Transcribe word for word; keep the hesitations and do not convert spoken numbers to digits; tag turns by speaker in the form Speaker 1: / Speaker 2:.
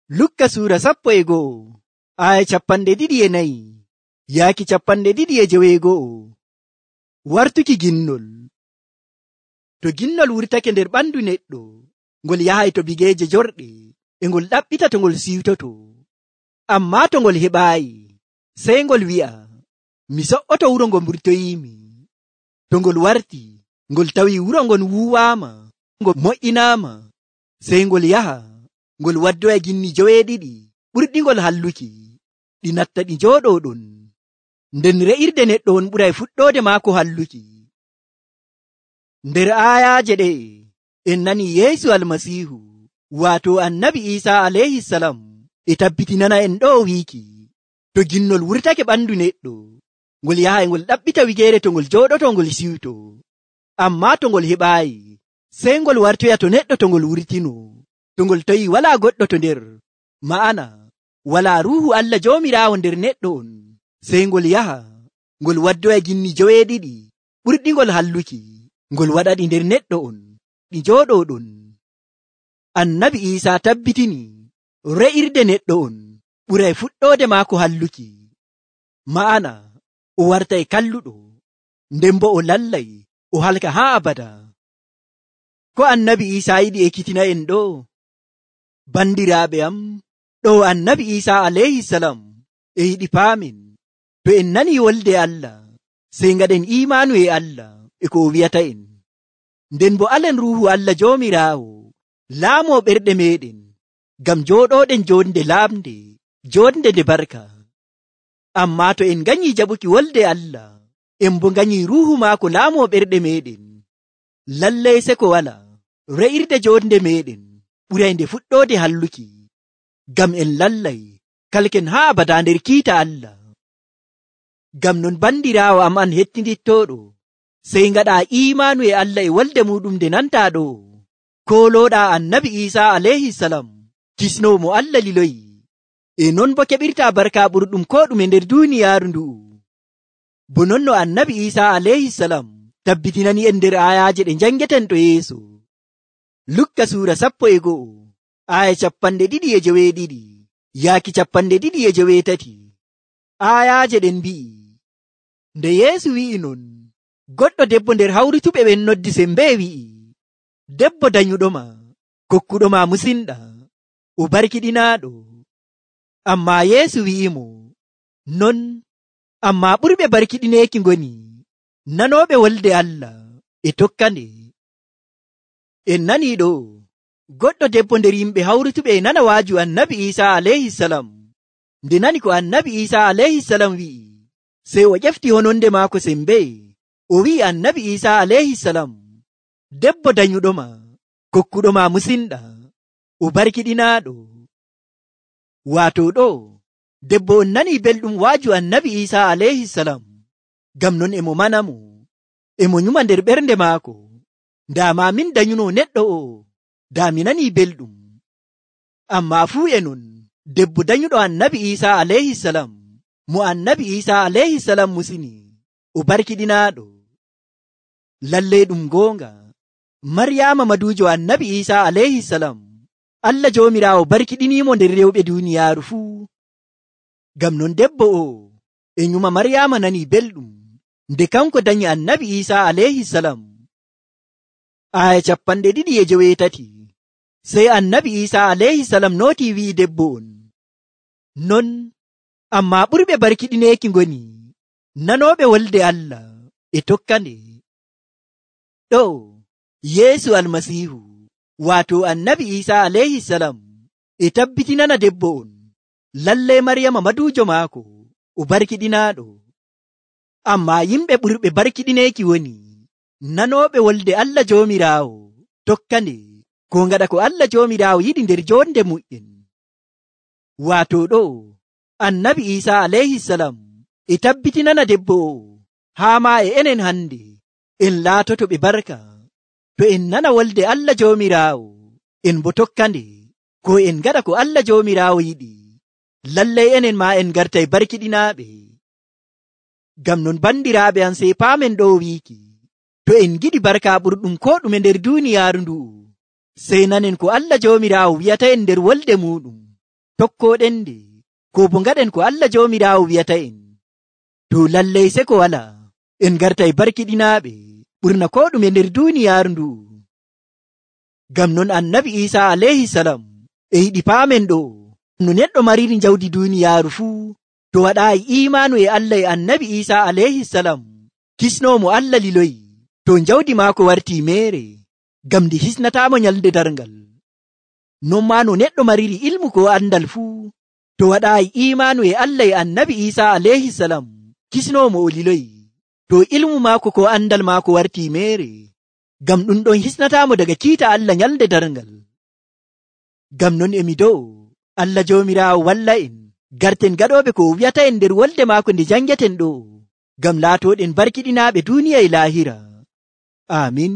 Speaker 1: Lukka suura sappo e go'o aya capanɗe ɗiɗi e nayi yaaki capanɗe ɗiɗi e joweego'o. Wartuki ginnol. To ginnol wurtake nder ɓandu neɗɗo, ngol yahay to bigeeje jorɗe e ngol ɗaɓɓita to ngol siwtoto. Ammaa to ngol heɓaayi, sey ngol wi'a, mi so'oto wuro ngo mburtoyiimi. To ngol warti, ngol tawi wuro ngon wuuwaama, ngol mo'inaama, sey ngol yaha, ngol waddoya ginni joweeɗiɗi ɓurɗi ngol halluki, ɗi natta ɗi njooɗoo ɗon. Nden re'irde neɗɗo on ɓuray fuɗɗoode maako halluki. Nder aayaaje ɗe'e en nani Yeesu Almasiihu, waato Annabi Iisaa alayhisalam, e tabbitinana en ɗo wiiki, to ginnol wurtake ɓandu neɗɗo, ngol yahay ngol ɗaɓɓita wigeere to ngol jooɗoto ngol siwto. Ammaa to ngol heɓaayi, sey ngol wartoya to neɗɗo to ngol wurtino, to ngol tawi walaa goɗɗo to nder, ma'ana walaa Ruuhu Allah Joomiraawo nder neɗɗo on, sey ngol yaha, ngol waddoya ginni joweeɗiɗi ɓurɗi ngol halluki, ngol waɗaɗi nder neɗɗo on, ɗi njooɗoo ɗon. Annabi Iisaa tabbitini re'irde neɗɗo on ɓuray fuɗɗoode maako halluki, ma'ana o wartay kalluɗo, nden bo o lallay o halka haa abada. Ko Annabi Iisaa yiɗi ekkitina en ɗo? Bandiraaɓe am, ɗo Annabi Iisaa alayhisalam e yiɗi paamen, to en nani wolde Allah, sey ngaɗen imaanu e Allah e ko o wi'ata en, nden bo alen Ruuhu Allah Joomiraawo laamoo ɓerɗe meɗen, ngam jooɗooɗen jonde laamde, jonde nde barka. Ammaa to en nganyii jaɓuki wolde Allah, en bo nganyii Ruuhu maako laamoo ɓerɗe meɗen, lallay seko wala re'irde jonde meɗen ɓuray nde fuɗɗoode halluki, ngam en lallay kalken haa abada nder kiita Allah. Ngam non bandiraawo am an hettindittooɗo, sey ngaɗaa imaanu e Allah e wolde muɗum nde nantaa ɗo, koolooɗaa Annabi Iisaa alayhisalam, kisnoowo mo Allah liloyi, e non bo keɓirtaa barka ɓurɗum ko ɗume nder duuniyaaru ndu'u. Bo non no Annabi Iisaa alayhisalam tabbitinani en nder aayaaje ɗe njangeten to yeeso. Lukka suura sappo e go'o aaya capanɗe ɗiɗi e joweeɗiɗi yaaki capanɗe ɗiɗi e joweetati. Aayaaje ɗen mbi'i, nde Yeesu wi'i non, goɗɗo debbo nder hawrituɓe ɓen noddi sembe wi'i, debbo danyuɗoma, kokkuɗoma musinɗa, o barkiɗinaaɗo. Ammaa Yeesu wi'imo, non, ammaa ɓurɓe barkiɗineeki ngoni nanooɓe wolde Allah e tokkande. En nanii ɗo, goɗɗo debbo nder yimɓe hawrituɓe e nana waaju Annabi Iisaa alayhisalam. Nde nani ko Annabi Iisaa alayhisalam wi'i, sey o ƴefti hononde maako sembe, o wi'i Annabi Iisaa alayhisalam, debbo danyuɗoma, kokkuɗoma musinɗa, o barkiɗinaaɗo. Waato ɗo, debbo on nanii belɗum waaju Annabi Iisaa alayhisalam, ngam non emo manamo, emo nyuma nder ɓernde maako, ndaama min danyuno neɗɗo o, daa mi nanii belɗum. Ammaa fuu e non, debbo danyuɗo Annabi Iisaa alayhisalam, mo Annabi Iisaa alayhisalam musini, o barkiɗinaaɗo. Lallay ɗum goonga, Maryaama maduujo Annabi Iisaa alayhisalam, Allah Joomiraawo barkiɗiniimo nder rewɓe duuniyaaru fuu. Ngam non debbo o e nyuma Maryaama nanii belɗum nde kanko danyi Annabi Iisaa alayhisalam. Aaya capanɗe ɗiɗi e joweetati. Sey Annabi Iisaa alayhisalam nootii wi'i debbo on, non, ammaa ɓurɓe barkiɗineeki ngoni nanooɓe wolde Allah e tokkande. Ɗo Yeesu Almasiihu, waato Annabi Iisaa alayhisalam, e tabbitinana debbo on, lallay Maryama maduujo maako o barkiɗinaaɗo. Ammaa yimɓe ɓurɓe barkiɗineeki woni nanooɓe wolde Allah Joomiraawo tokkande, ko ngaɗa ko Allah Joomiraawo yiɗi nder jonde mu'en. Waato ɗo Annabi Iisaa alayhisalam e tabbitinana debbo o, haa ma e enen hande en laatoto ɓe barka, to en nana wolde Allah Joomiraawo, en bo tokkande, ko en ngaɗa ko Allah Joomiraawo yiɗi, lallay enen ma en gartay barkiɗinaaɓe. Ngam non bandiraaɓe am, sey paamen ɗo wiiki, to en giɗi barka ɓurɗum ko ɗume nder duuniyaaru ndu'u, sey nanen ko Allah Joomiraawo wi'ata en nder wolde muɗum. tokkoɗen nde, ko bo ngaɗen ko Allah Joomiraawo wi'ata en. To lallai seko wala, en gartay barkiɗinaaɓe ɓurna ko ɗume nder duuniyaaru ndu. Ngam non Annabi Iisaa alayhi salam e yiɗi paamen ɗo no neɗɗo mariri jawdi duuniyaaru fuu, to waɗaayi iimaanu e Allah e Annabi Iisaa alayhi salam, kisnoomo Allah liloyi, to jawdi maako wartii meere, ngam ndi hisnataamo nyalde darngal. Non maa no neɗɗo mariri ilmu ko andal fuu, to waɗaayi iimaanu e Allah e Annabi Iisaa alayhi salam, kisnoomo o liloyi, to ilmu maako ko andal maako wartii meere, ngam ɗum ɗon hisnataamo daga kiita Allah nyalde darngal. Ngam non emi do'o Allah Joomiraawo walla en, garten gaɗooɓe ko wi'ata en nder wolde maako nde jangeten ɗo, ngam laatooɗen barkiɗinaaɓe duuniya e laahira. Aamin.